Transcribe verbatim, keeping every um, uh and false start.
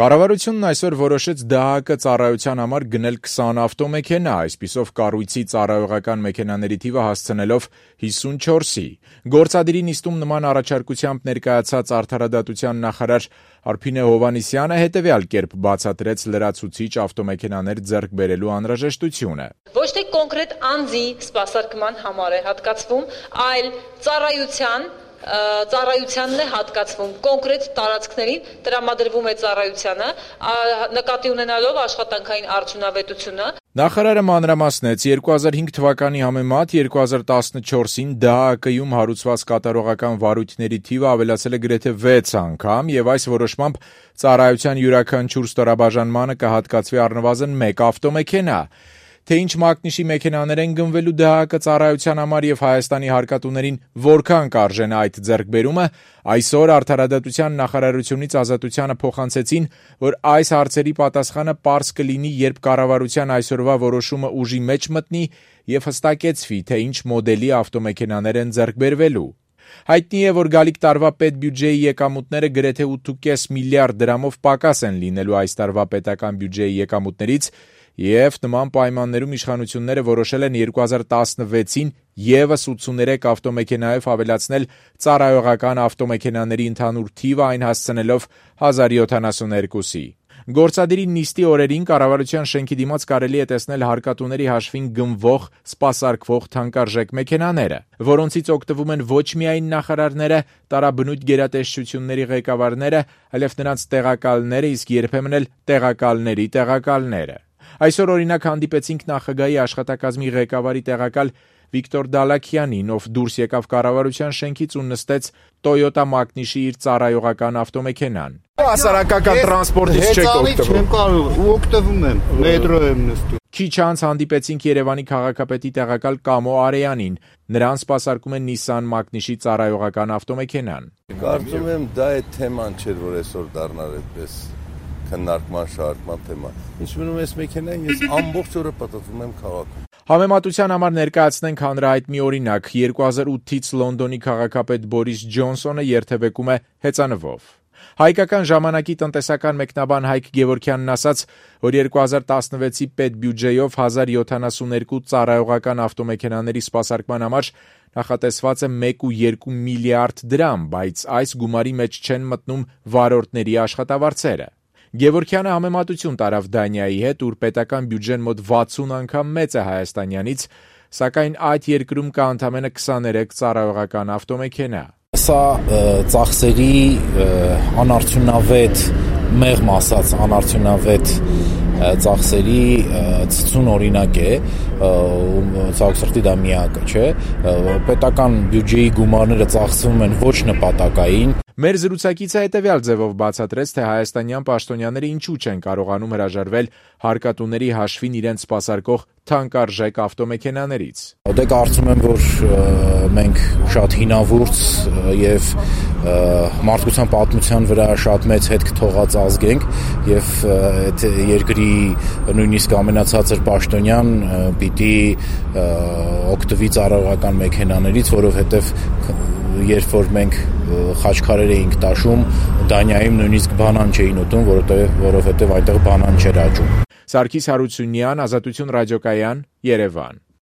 Կառավարությունն այսօր որոշեց ԴՀԱԿ ծառայության համար գնել քսան ավտոմեքենա, այսպիսով կառույցի ծառայողական մեքենաների թիվը հասցնելով հիսունչորսի։ Գործադիրի նիստում նման առաջարկությամբ ներկայացած Արդարադատության նախարար Արփինե Հովհաննիսյանը հետևյալ կերպ բացատրեց լրացուցիչ ավտոմեքենաներ ձեռք բերելու անհրաժեշտությունը։ Ոչ թե կոնկրետ անձի սպասարկման համար է հատկացվում, այլ ծառայության ծառայությանն է հատկացվում, կոնկրետ տարածքներին տրամադրվում է ծառայությանը, նկատի ունենալով աշխատանքային արդյունավետությունը։ Նախարարը մանրամասնեց երկու հազար հինգ թվականի համեմատ երկու հազար տասնչորսին ԴՀԱԿ-ում հարուցված կատարողական վարույթների թիվը ավելացել է գրեթե վեց անգամ եւ այս որոշմամբ ծառայության յուրաքանչյուր ստորաբաժանմանը կհատկացվի առնվազն մեկ ավտոմեքենա։ Թե ինչ մակնիշի մեքենաներ են գնվելու ԴՀԱԿ ծառայության համար եւ Հայաստանի հարկատուներին որքան կարժենա այդ ձեռքբերումը, այսօր Արդարադատության նախարարությունից Ազատությանը փոխանցեցին, որ այս հարցերի պատասխանը պարզ կլինի, երբ կառավարության այսօրվա որոշումը ուժի մեջ մտնի եւ հստակեցվի, թե ինչ մոդելի ավտոմեքենաներ են ձեռքբերվելու։ Հայտնի է, որ գալիք տարվա պետբյուջեի եկամուտները գրեթե ութ կόμμα պենս միլիարդ դրամով պակաս են լինելու այս տարվա պետական բյուջեի եկամուտներից, եւ նման պայմաններում իշխանությունները որոշել են երկու հազար տասնվեցին եւս ութսուներեք ավտոմեքենայով ավելացնել ծառայողական ավտոմեքենաների ընդհանուր թիվը, այն հասցնելով հազար յոթանասունհինգի։ Գործադիրի նիստի օրերին կառավարության շենքի դիմաց կարելի է տեսնել հարկատուների հաշվին գնվող, սպասարկվող թանկարժեք մեքենաները, որոնցից օգտվում են ոչ միայն նախարարները, տարաբնույթ գերատեսչությունների ղեկավարները, այլև նրանց տեղակալները, իսկ երբեմն էլ տեղակալների տեղակալները։ Այսօր օրինակ հանդիպեցինք նախագահի աշխատակազմի ղեկավարի տեղակալ Վիկտոր Դալաքյանին, ով դուրս եկավ կառավարության շենքից ու նստեց Toyota մակնիշի իր ծառայողական ավտոմեքենան։ Հասարակական տրանսպորտից չեք օգտվում։ Չեմ կարող, ու օգտվում եմ, մետրո եմ նստում։ Քիչ անց հանդիպեցինք Երևանի քաղաքապետի տեղակալ Կամո Արեյանին։ Նրան սպասարկում է Nissan մակնիշի ծառայողական ավտոմեքենան։ Կարծում եմ դա է թեման չէր, որ այսօր դառնար այդպես քննարկման շարժման թեմա։ Ինչ մնում է մեքենային, ես ամբողջ օրը պատտվում եմ քաղաքում։ Համեմատության համար ներկայացնենք հանրահայտ մի օրինակ։ երկու հազար ութից Լոնդոնի քաղաքապետ Բորիս Ջոնսոնը երթևեկում է հեծանվով։ Հայկական ժամանակի տնտեսական մեկնաբան Հայկ Գևորգյանն ասաց, որ երկու հազար տասնվեցի պետբյուջեով հազար յոթանասունհինգ ծառայողական ավտոմեքենաների սպասարկման համար նախատեսված է մեկ կόμμα երկու միլիարդ դրամ, բայց այս գումարի մեջ չեն մտնում վարորդների աշխատավարձերը։ Գևորգյանը համեմատություն տարավ Դանիայի հետ, ուր պետական բյուջեն մոտ վաթսուն անգամ մեծ է հայաստանյանից, սակայն այդ երկրում կա ընդամենը քսաներեք ծառայողական ավտոմեքենա։ Սա ծախսերի անարդյունավետ, մեղմ ասած անարդյունավետ ծախսերի ցցուն օրինակ է, ցավոք դա միակը չէ, պետական բյուջեի գումարները ծախսվում են ոչ նպատակային։ Մեր զրուցակիցը հետևյալ ձևով բացատրեց, թե հայաստանյան պաշտոնյաները ինչու չեն կարողանում հրաժարվել հարկատուների հաշվին իրենց սպասարկող թանկարժեք ավտոմեքենաներից։ Դե կարծում եմ, որ մենք շատ հինավուրց եւ մարդկության պատմության վրա շատ մեծ հետք թողած ազգ ենք եւ այդ երկրի նույնիսկ ամենացածր պաշտոնյան պիտի օգտվի ծառայողական մեքենաներից, որովհետեւ երբ որ մենք խաչքարեր էինք տաշում, Դանիայում նույնիսկ բանան չէին ուտում, որովհետև որովհետև այնտեղ բանան չէր աճում։ Սարգիս Հարությունյան, Ազատություն ռադիոկայան, Երևան։